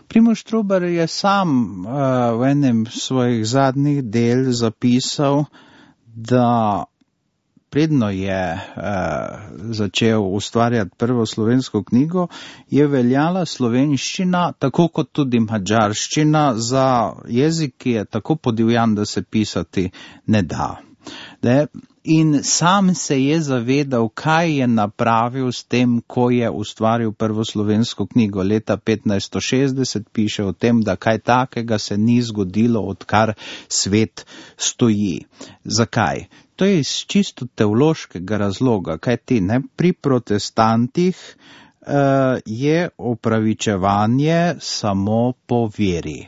Primož Trubar je sam v enem svojih zadnjih del zapisal, da predno je začel ustvarjati prvo slovensko knjigo, je veljala slovenščina, tako kot tudi madžarščina, za jezik, ki je tako podivjan, da se pisati ne da. In sam se je zavedal, kaj je napravil s tem, ko je ustvaril prvo slovensko knjigo. Leta 1560 piše o tem, da kaj takega se ni zgodilo, odkar svet stoji. Zakaj? To je iz čisto teološkega razloga, kajti pri protestantih je opravičevanje samo po veri.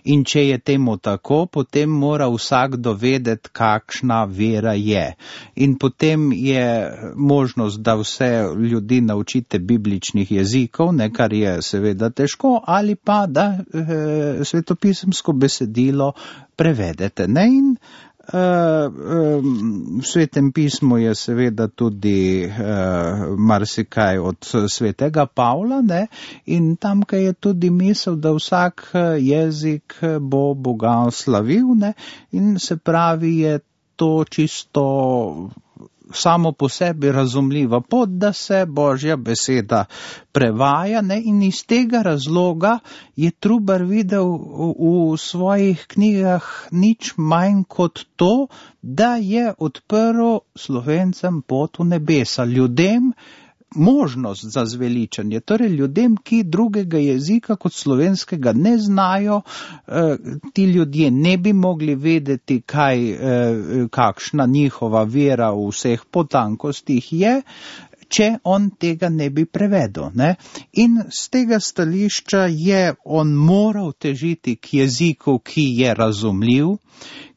In če je temu tako, potem mora vsakdo vedeti, kakšna vera je. In potem je možnost, da vse ljudi naučite bibličnih jezikov, kar je seveda težko, ali pa da svetopisemsko besedilo prevedete. In v Svetem pismu je seveda tudi marsikaj od svetega Pavla, in tamkaj je tudi misel, da vsak jezik bo Boga slavil, in se pravi, je to čisto samo po sebi razumljiva pot, da se Božja beseda prevaja, in iz tega razloga je Trubar videl v svojih knjigah nič manj kot to, da je odprl Slovencem pot v nebesa, ljudem možnost za zveličanje, torej ljudem, ki drugega jezika kot slovenskega ne znajo, ti ljudje ne bi mogli vedeti, kakšna njihova vera v vseh potankostih je, če on tega ne bi prevedel. In z tega stališča je on moral težiti k jeziku, ki je razumljiv,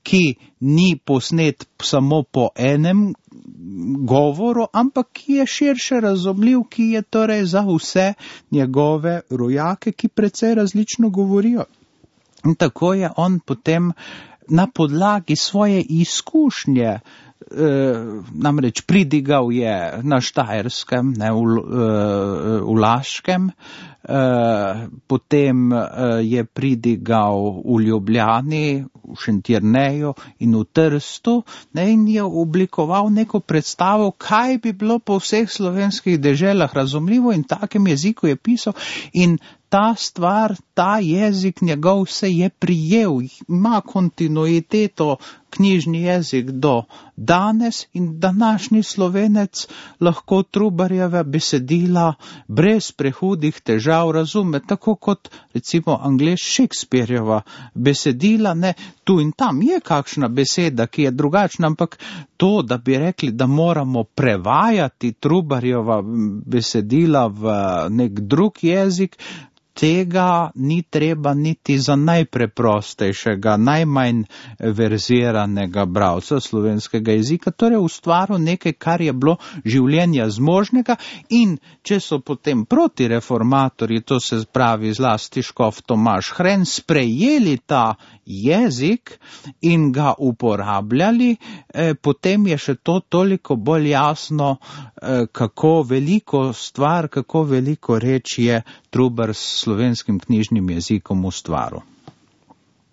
ki ni posnet samo po enem govoru, ampak ki je širše razumljiv, ki je torej za vse njegove rojake, ki precej različno govorijo. In tako je on potem na podlagi svoje izkušnje, namreč pridigal je na Štajerskem, v Laškem, potem je pridigal v Ljubljani, v Šentjerneju in v Trstu, in je oblikoval neko predstavo, kaj bi bilo po vseh slovenskih deželah razumljivo, in takem jeziku je pisal, in ta stvar, ta jezik njegov se je prijel, ima kontinuiteto knjižni jezik do danes, in današnji Slovenec lahko Trubarjeva besedila brez prehudih težav razume, tako kot recimo Anglež Shakespearjeva besedila, tu in tam je kakšna beseda, ki je drugačna, ampak to, da bi rekli, da moramo prevajati Trubarjeva besedila v nek drug jezik, tega ni treba niti za najpreprostejšega, najmanj verziranega bralca slovenskega jezika, torej ustvaril nekaj, kar je bilo življenja zmožnega, in če so potem protireformatorji, to se pravi zlasti škof Tomaž Hren, sprejeli ta jezik in ga uporabljali, potem je še to toliko bolj jasno, kako veliko stvar, kako veliko reč je Trubar s slovenskim knjižnim jezikom ustvaril.